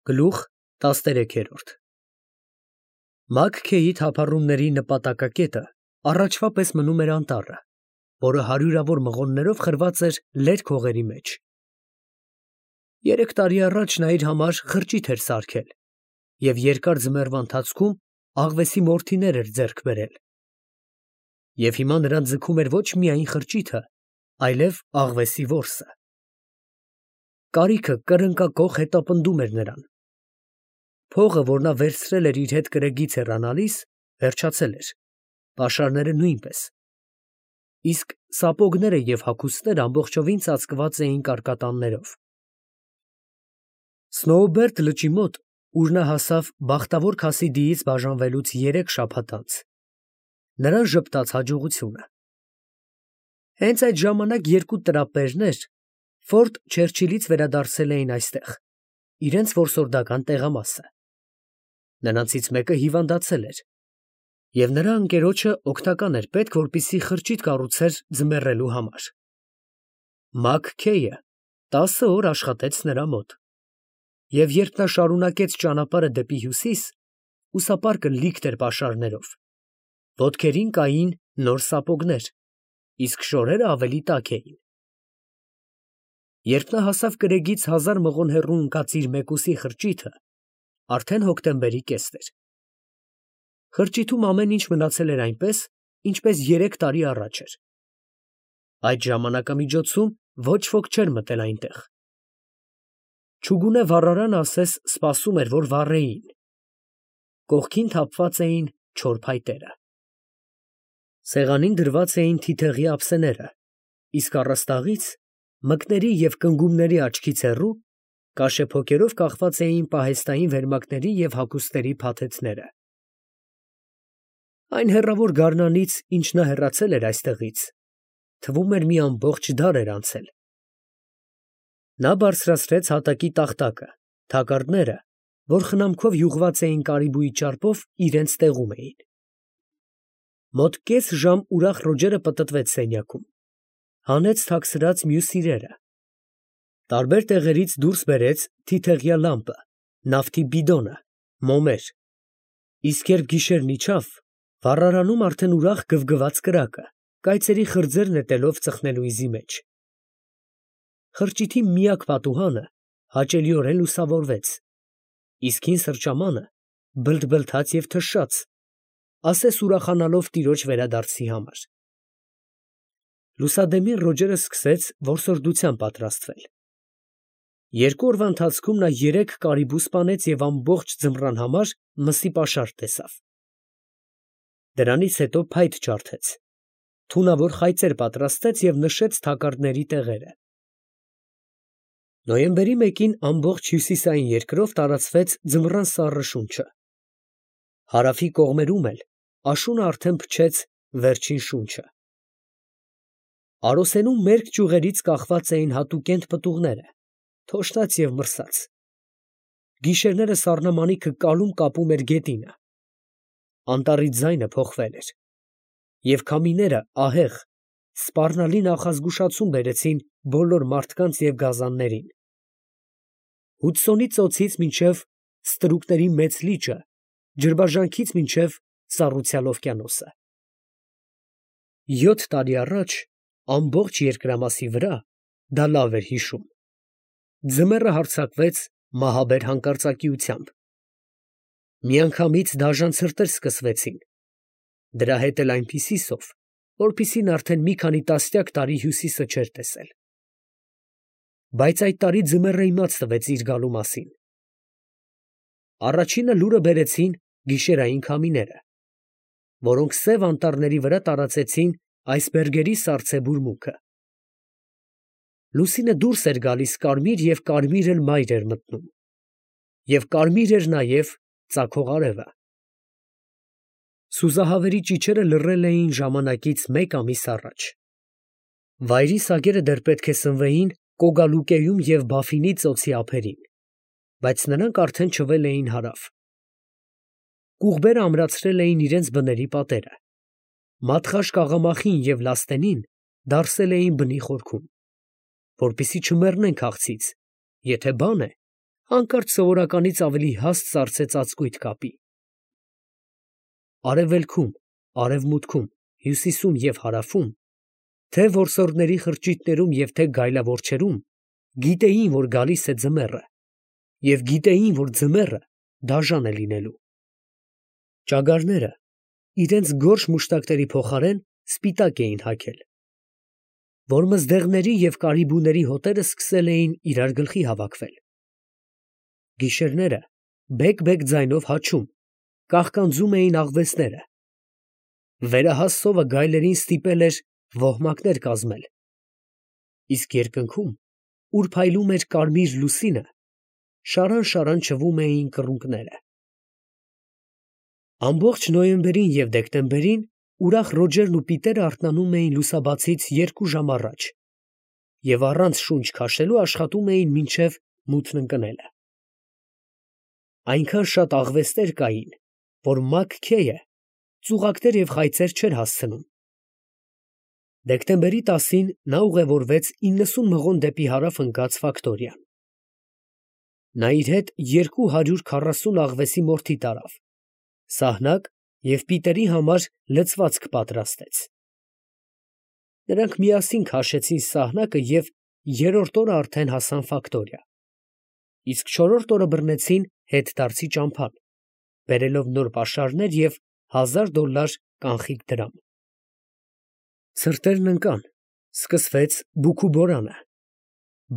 Գլուխ 13 Մաքքեյի թափառումների նպատակակետը առաջվա պես մնում էր անտառը, որը հարյուրավոր մղոններով խրված էր լերկ հողերի մեջ։ 3 տարի առաջ նա իր համար խրճիթ էր սարքել և երկար ձմեռվա ընթացքում աղվեսի մորթիներ էր ձեռք բերել։ Եվ հիմա նրան ձգում էր ոչ միայն խրճիթը, այլև աղվեսի որսը։ Կարիքը կրնկակոխ հետապնդում էր նրան։ Փողը, որ նա վերցրել էր իր հետ կրակից հեռանալիս, վերջացել էր, պաշարները նույնպես, իսկ սապոգները և հագուստները ամբողջովին ծածկված էին կարկատաններով։ Սնոուբերտ լճի մոտ, ուր նա հասավ բախտավոր Քասիդիից բաժանվելուց 3 շաբաթ անց, նրան ժպտաց հաջողությունը։ Հենց այդ ժամանակ 2 տրապերներ Ֆորտ Չերչիլից վերադարձել էին այստեղ, իրենց որսորդական տեղամասը։ Նրանցից մեկը հիվանդացել էր, և նրա ընկերոջը օգնական էր պետք, որպեսզի խրճիթ կառուցեր ձմեռելու համար։ Մաքքեյը 10 օր աշխատեց նրա մոտ, և երբ նա շարունակեց ճանապարհը դեպի հյուսիս, ուսապարկը լիքն էր պաշարներով, ոտքերին կային նոր սապոգներ, իսկ շորերը ավելի տաք էին։ Երբ նա հասավ կրեգից 1000 մղոն հեռու ընկած իր մեկուսի խրճիթը, արդեն հոկտեմբերի կեսն էր։ Խրճիթում ամեն ինչ մնացել էր այնպես, ինչպես 3 տարի առաջ էր։ Այդ ժամանակամիջոցում ոչ ոք չէր մտել այնտեղ։ Չուգունե վառարանը ասես սպասում էր, որ վառեին։ Կողքին թափված էին չոր փայտերը։ Սեղանին դրված էին թիթեղի ափսեները, իսկ առաստաղից, մկների և կնգուղների աչքից հեռու, կաշեփոկերով կախված էին պահեստային վերմակների և հագուստների փաթեթները։ Այն հեռավոր գարնանից, ինչ նա հեռացել էր այստեղից, թվում էր մի ամբողջ դար էր անցել։ Նա բարձրացրեց հատակի տախտակը, թակարդները, որ խնամքով յուղված էին կարիբուի ճարպով, իրենց տեղում էին։ Մոտ կես ժամ ուրախ Ռոջերը պտտվեց սենյակում, հանեց թաքցրած մյուս իրերը, տարբեր տեղերից դուրս բերեց թիթեղյա լամպը, նավթի բիդոնը, մոմեր, իսկ երբ գիշերն իջավ, վառարանում արդեն ուրախ գվգված կրակը, կայծերի խրձեր նետելով ծխնելույզի մեջ։ Խրճիթի միակ պատուհանը հաճելիորեն լուսավորվեց, իսկ հին սրճամանը բլթբլթաց և թշաց, ասես ուրախանալով տիրոջ վերադարձի համար։ Լուսադեմին Ռոջերը սկսեց որսորդության պատրաստվել։ 2 օրվա ընթացքում նա 3 կարիբու սպանեց և ամբողջ ձմռան համար մսի պաշար տեսավ։ Դրանից հետո փայտ ջարդեց, թունավոր խայծեր պատրաստեց և նշեց թակարդների տեղերը։ Նոյեմբերի 1-ին ամբողջ հյուսիսային երկրով տարածվեց ձմռան սառը շունչը։ Հարավի կողմերում էլ աշունը արդեն փչեց վերջին շունչը։ Արոսենում մերկ ճյուղերից կախված էին հատուկենտ պտուղները, թոշնած և մրսած։ Գիշերները սառնամանիքը կալում կապում էր գետինը։ Անտառի ձայնը փոխվել էր, և քամիները ահեղ, սպառնալի նախազգուշացում բերեցին բոլոր մարդկանց և գազաններին։ Հուդսոնի ծոցից մինչև Ստրուկների Մեծ լիճը, ջրբաժանքից մինչև Սառուցյալ օվկիանոսը։ 7 տարի առաջ ամբողջ երկրամասի վրա, դա լավ էր հիշում, ձմեռը հարձակվեց մահաբեր հանկարծակիությամբ։ Միանգամից դաժան ցրտեր սկսվեցին, դրա հետ էլ այնպիսի սով, որպիսին արդեն մի քանի տասնյակ տարի Հյուսիսը չէր տեսել։ Բայց այդ տարի ձմեռը իմաց տվեց իր գալու մասին։ Առաջինը լուրը բերեցին գիշերային քամիները, որոնք Սև Անտառների վրա տարածեցին այսբերգերի սառցե բուրմունքը։ Լուսինը դուրս էր գալիս կարմիր և կարմիր էլ մայր էր մտնում, և կարմիր էր նաև ծագող արևը։ Սուզահավերի ճիչերը լռել էին ժամանակից 1 ամիս առաջ։ Վայրի սագերը դեռ պետք է սնվեին Կոգալուկեում և Բաֆինի ծոցի ափերին, բայց նրանք արդեն չվել էին հարավ։ Կուղբերը ամրացրել էին իրենց բների պատերը, մատխաշ կաղամախին և լաստենին դարսել էին բնի խորքում, որպեսզի չմեռնեն քաղցից, եթե բան է, հանկարծ սովորականից ավելի հաստ սառցե ծածկույթ կապի։ Արևելքում, արևմուտքում, հյուսիսում և հարավում, թե որսորդների խրճիթներում և թե գայլավորչերում, գիտեին, որ գալիս է ձմեռը, և գիտեին, որ ձմեռը դաժան է լինելու։ Ճագարները իրենց գորշ մուշտակների փոխարեն սպիտակ էին հագել, որ մզդեղների և կարիբուների հոտերը սկսել էին իրար գլխի հավաքվել։ Գիշերները բեկ-բեկ ձայնով հաչում, կաղկանձում էին աղվեսները։ Վերահաս սովը գայլերին ստիպել էր ոհմակներ կազմել, իսկ երկնքում, ուր փայլում էր կարմիր լուսինը, շարան չվում էին կռունկները։ Ամբողջ նոյեմբերին և դեկտեմբերին ուրախ Ռոջերն ու Պիտերը արթնանում էին լուսաբացից 2 ժամ առաջ և առանց շունչ քաշելու աշխատում էին մինչև մութն ընկնելը։ Այնքան շատ աղվեսներ կային, որ Մաք Քեյը ծուղակներ և խայծեր չէր հասցնում։ Դեկտեմբերի 10-ին նա ուղևորվեց 90 մղոն դեպի հարավ ընկած Ֆակտորիան։ Նա իր հետ 240 աղվեսի մորթի տարավ, սահնակ և Պիտերի համար լցվածք պատրաստեց։ Նրանք միասին քաշեցին սահնակը և երրորդ օրը արդեն հասան Ֆակտորիա, իսկ չորրորդ օրը բռնեցին հետդարձի ճամփան, բերելով նոր պաշարներ և $1000 կանխիկ դրամ։ Ցրտերն ընկան, սկսվեց բուքուբորանը,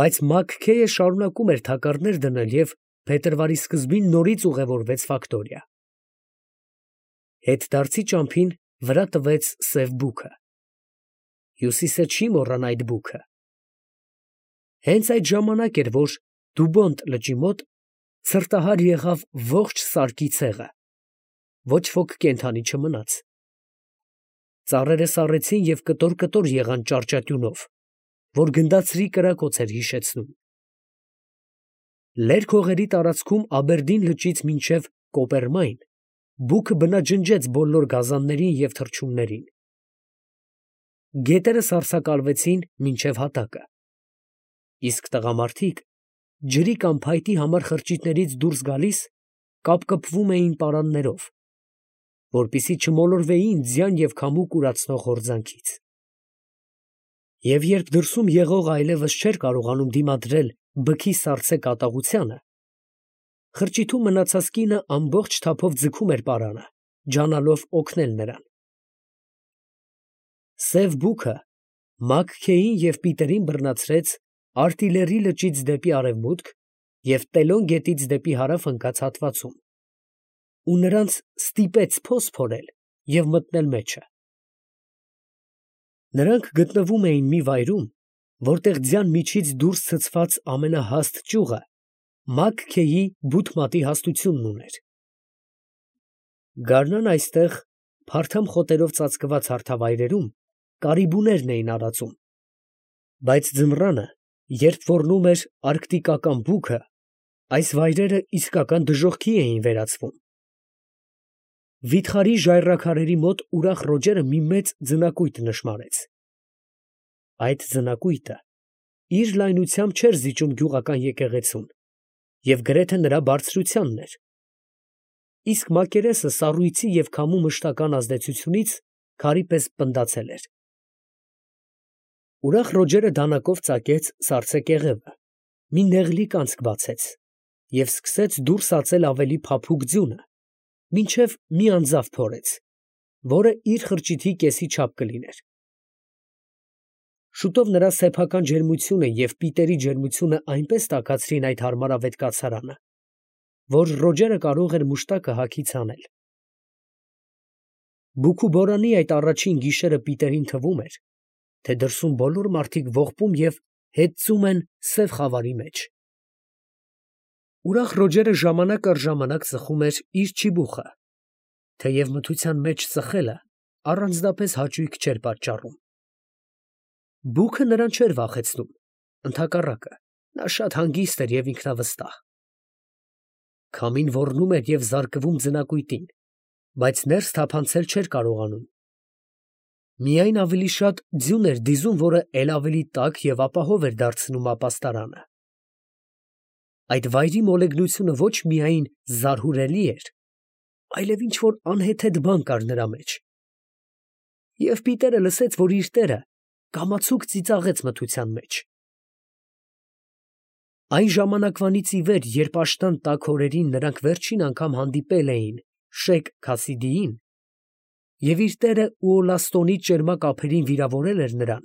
բայց Մաք Քեյը շարունակում էր թակարդներ դնել և փետրվարի սկզբին նորից ուղևորվեց Ֆակտորիա։ Հետդարձի ճամփին վրա տվեց սև բուքը։ Հյուսիսը չի մոռանա այդ բուքը։ Հենց այդ ժամանակ էր, որ Դուբոնտ լճի մոտ ցրտահար եղավ ողջ սարքի ցեղը, ոչ ոք կենդանի չմնաց։ Ծառերը սառեցին և կտոր եղան ճարճատյունով, որ գնդացրի կրակոց էր հիշեցնում։ Լերկ հողերի տարածքում Աբերդին լճից մինչև Կոպերմայն բուքը բնաջնջեց բոլոր գազաններին և թռչուններին։ Գետերը սառցակալվեցին մինչև հատակը, իսկ տղամարդիկ, ջրի կամ փայտի համար խրճիթներից դուրս գալիս, կապկպվում էին պարաններով, որպեսզի չմոլորվեին ձյան և քամու կուրացնող հորձանքից։ Եվ երբ դրսում եղողը այլևս չէր կարողանում դիմադրել բքի սառցե կատաղությանը, խրճիթում մնացած կինը ամբողջ թափով ձգում էր պարանը, ջանալով օգնել նրան։ Սև բուքը Մաք Քեյին և Պիտերին բռնացրեց Արտիլերի լճից դեպի արևմուտք և Տելոն գետից դեպի հարավ ընկած հատվածում, ու նրանց ստիպեց փոս փորել և մտնել մեջը։ Նրանք գտնվում էին մի վայրում, որտեղ ձյան միջից դուրս ցցված ամենահաստ ճյուղը Մաք Քեյի բութ մատի հաստությունն ուներ։ Գարնան այստեղ, փարթամ խոտերով ծածկված հարթավայրերում, կարիբուներն էին արածում, բայց ձմռանը, երբ ոռնում էր արկտիկական բուքը, այս վայրերը իսկական դժոխքի էին վերածվում։ Վիթխարի ժայռաքարերի մոտ ուրախ Ռոջերը մի մեծ ձնակույտ նշմարեց։ Այդ ձնակույտը իր լայնությամբ չէր զիջում գյուղական եկեղեցուն և գրեթե նրա բարձրությանն էր, իսկ մակերեսը սառույցի և քամու մշտական ազդեցությունից քարի պես պնդացել էր։ Ուրախ Ռոջերը դանակով ծակեց սառցե կեղևը, մի նեղլիկ անցք բացեց և սկսեց դուրս ածել ավելի փափուկ ձյունը, մինչև մի անձավ փորեց, որը իր խրճիթի կեսի չափ կլիներ։ Շուտով նրա սեփական ջերմությունը և Պիտերի ջերմությունը այնպես տաքացրին այդ հարմարավետ կացարանը, որ Ռոջերը կարող էր մուշտակը հագից հանել։ Բուքուբորանի այդ առաջին գիշերը Պիտերին թվում էր, թե դրսում բոլոր մարդիկ ողբում և հեծում են սև խավարի մեջ։ Ուրախ Ռոջերը ժամանակ առ ժամանակ ծխում էր իր չիբուխը, թեև մթության մեջ ծխելը առանձնապես հաճույք չէր պատճառում։ Բուքը նրան չէր վախեցնում, ընդհակառակը, նա շատ հանգիստ էր և ինքնավստահ։ Քամին ոռնում էր և զարկվում ձնակույտին, բայց ներս թափանցել չէր կարողանում։ Միայն ավելի շատ ձյուն էր դիզում, որը էլ ավելի տաք և ապահով էր դարձնում ապաստարանը։ Այդ վայրի մոլեգնությունը ոչ միայն զարհուրելի էր, այլև ինչ-որ անհեթեթ բան կար նրա մեջ։ Եվ Պիտերը լսեց, որ իր տերը կամացուկ ծիծաղեց մթության մեջ։ Այն ժամանակվանից ի վեր, երբ աշնան տաք օրերին նրանք վերջին անգամ հանդիպել էին Շեյխ Քասիդիին, և իր տերը Ուոլաստոնի ճերմակ ափերին վիրավորել էր նրան,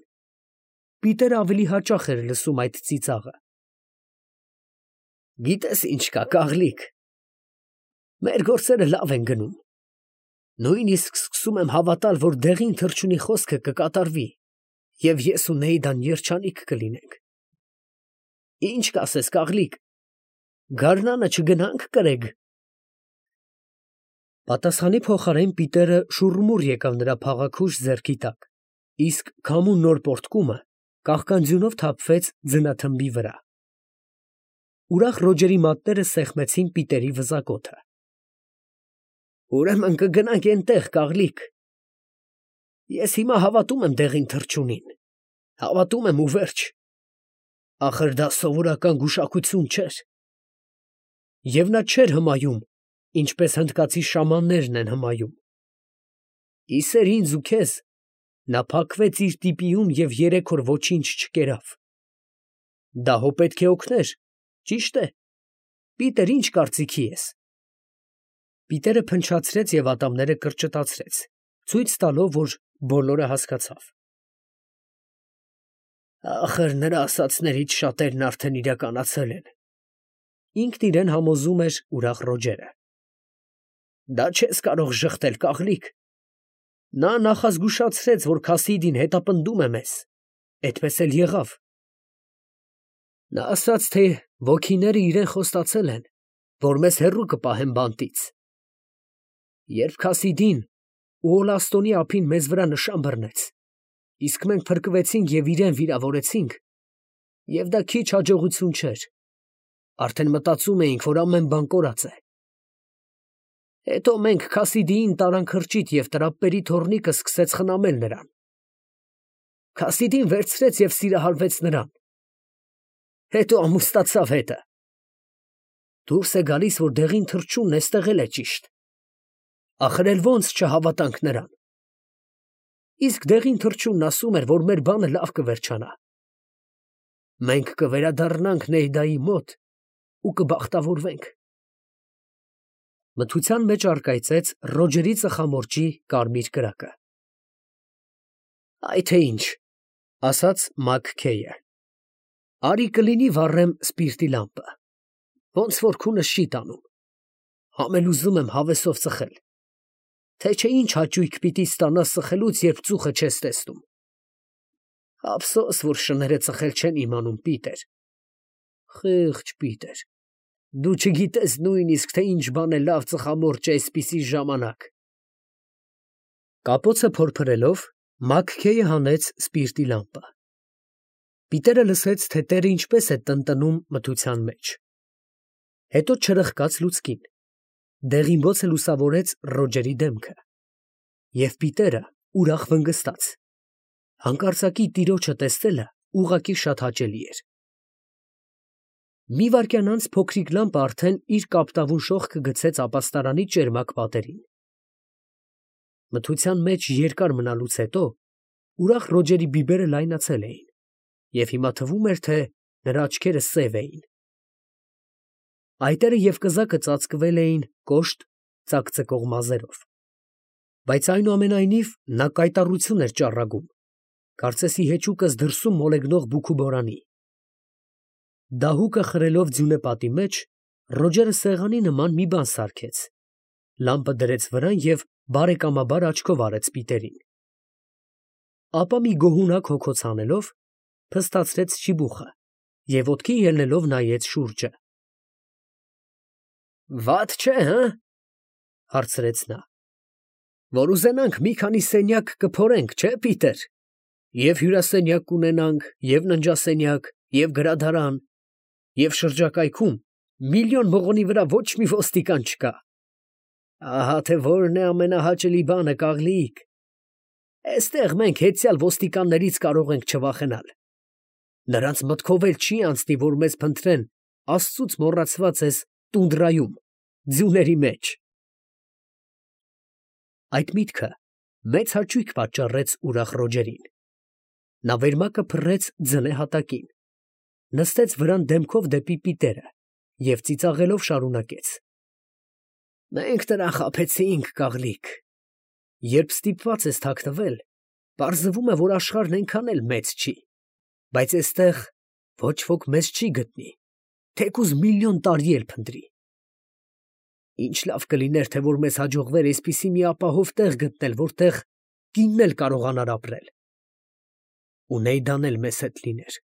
Պիտերը ավելի հաճախ էր լսում այդ ծիծաղը։ Գիտես ինչ կա, կաղլիկ, մեր գործերը լավ են գնում, նույնիսկ սկսում եմ հավատալ, որ դեղին թռչունի խոսքը կկատարվի, և ես ու Նեյդան երջանիկ կլինենք։ Ինչ կասես, կաղլիկ, գարնանը չգնա՞նք կրեգ։ Պատասխանի փոխարեն Պիտերը շուռմուռ եկավ նրա փաղաքուշ ձեռքի տակ, իսկ քամու նոր պոռթկումը կաղկանձյունով թափվեց ձնաթմբի վրա։ Ուրախ Ռոջերի մատները սեղմեցին Պիտերի վզակոթը։ Ուրեմն կգնանք էնտեղ, կաղլիկ։ Ես հիմա հավատում եմ դեղին թռչունին, հավատում եմ ու վերջ։ Ախր դա սովորական գուշակություն չէր։ Եվ նա չէր հմայում, ինչպես հնդկացի շամաններն են հմայում։ Իսեր ինձ ու քեզ, նա փակվեց իր տիպիում և 3 օր ոչինչ չկերավ։ Դա հո պետք է օգներ, ճիշտ է։ Պիտեր, ինչ կարծիքի ես։ Պիտերը փնչացրեց և ատամները կրճտացրեց, ցույց տալով, որ բոլորը հասկացավ։ Ախր նրա ասածներից շատերն արդեն իրականացել են։ Ինքն իրեն համոզում էր ուրախ Ռոջերը։ Դա չես կարող ժխտել, կաղլիկ։ Նա նախազգուշացրեց, որ Քասիդին հետապնդում է մեզ, այդպես էլ եղավ։ Նա ասաց, թե ոգիները իրեն խոստացել են, որ մեզ հեռու կպահեն բանտից։ Երբ Քասիդին Ուոլաստոնի ափին մեզ վրա նշան բռնեց, իսկ մենք փրկվեցինք և իրեն վիրավորեցինք, և դա քիչ հաջողություն չէր, արդեն մտածում էինք, որ ամեն բան կորած է։ Հետո մենք Քասիդիին տարանք խրճիթ և տրապպերի թոռնիկը սկսեց խնամել նրան։ Քասիդին վերցրեց և սիրահարվեց նրան։ Հետո ամուսնացավ հետը։ Դուրս է գալիս, որ դեղին թռչունն էստեղ էլ է ճիշտ։ Ախր էլ ո՞նց չհավատանք նրան։ Իսկ դեղին թռչունն ասում էր, որ մեր բանը լավ կվերջանա։ Մենք կվերադառնանք Նեյդայի մոտ ու կբախտավորվենք։ Մթության մեջ առկայծեց Ռոջերի ծխամորճի կարմիր կրակը։ Այ թե ինչ, ասաց Մաքքեյը։ Արի կլինի վառեմ սպիրտի լամպը, ոնց որ քունս չի տանում։ Համ էլ ուզում եմ հավեսով ծխել, թե չէ ինչ հաճույք պիտի ստանաս ծխելուց, երբ ծուխը չես տեսնում։ Ափսոս, որ շները ծխել չեն իմանում, Պիտեր։ Խեղճ Պիտեր, դու չգիտես նույնիսկ, թե ինչ բան է լավ ծխամորճ այսպիսի ժամանակ։ Կապոցը փորփրելով, Մաքքեյը հանեց սպիրտի լամպը։ Պիտերը լսեց, թե տերը ինչպես է տնտնում մթության մեջ։ Հետո չրխկաց լուցկին։ Դեղինբոցը լուսավորեց Ռոջերի դեմքը։ Եվ Պիտերը ուրախ վնգստաց։ Հանկարծակի տիրոջը տեսնելը ուղղակի շատ հաճելի էր։ Մի վայրկյան անց փոքրիկ լամպը արդեն իր կապտավուն շողքը գցեց ապաստարանի ճերմակ պատերին։ Մթության մեջ երկար մնալուց հետո ուրախ Ռոջերի բիբերը լայնացել էին, և հիմա թվում էր, թե նրա աչքերը սև էին։ Այտերը և կզակը ծածկվել էին կոշտ ծակծկող մազերով, բայց այնուամենայնիվ նա կայտառություն էր ճառագում, կարծես ի հեճուկս դրսում մոլեգնող բուքուբորանի։ Դահուկը խրելով ձյունեպատի մեջ, Ռոջերը սեղանի նման մի բան սարքեց, լամպը դրեց վրան և բարեկամաբար աչքով արեց Պիտերին։ Ապա մի գոհունակ հոգոց հանելով, փստացրեց չիբուխը և ոտքի ելնելով նայեց շուրջը։ Վատ չէ, հը՞, հարցրեց նա։ Որ ուզենանք մի քանի սենյակ կփորենք, չէ՞, Պիտեր։ Եվ հյուրասենյակ կունենանք, և ննջասենյակ, և գրադարան, և շրջակայքում միլիոն մղոնի վրա ոչ մի ոստիկան չկա։ Ահա թե որն է ամենահաճելի բանը, կաղլիկ։ Էստեղ մենք հեծյալ ոստիկաններից կարող ենք չվախենալ։ Նրանց մտքով էլ չի անցնի, որ մեզ փնտրեն Աստծուց մոռացված ես տունդրայում, ձյուների մեջ։ Այդ միտքը մեծ հաճույք պատճառեց ուրախ Ռոջերին. նա վերմակը փռեց ձնե հատակին, նստեց վրան դեմքով դեպի պիտերը և ծիծաղելով շարունակեց. «Մենք նրան խաբեցինք, կաղլիկ. երբ ստիպված ես թաքնվել, պարզվում է, որ աշխարհն այնքան էլ մեծ չի, բայց էստեղ ոչ ոք մեզ չի գտնի, թեկուզ միլիոն տարի էլ փնտրի։ Ինչ լավ կլիներ, թե որ մեզ հաջողվեր այսպիսի մի ապահով տեղ գտնել, որտեղ կինն էլ կարողանար ապրել։ Ու Նեյդան էլ մեզ հետ լիներ։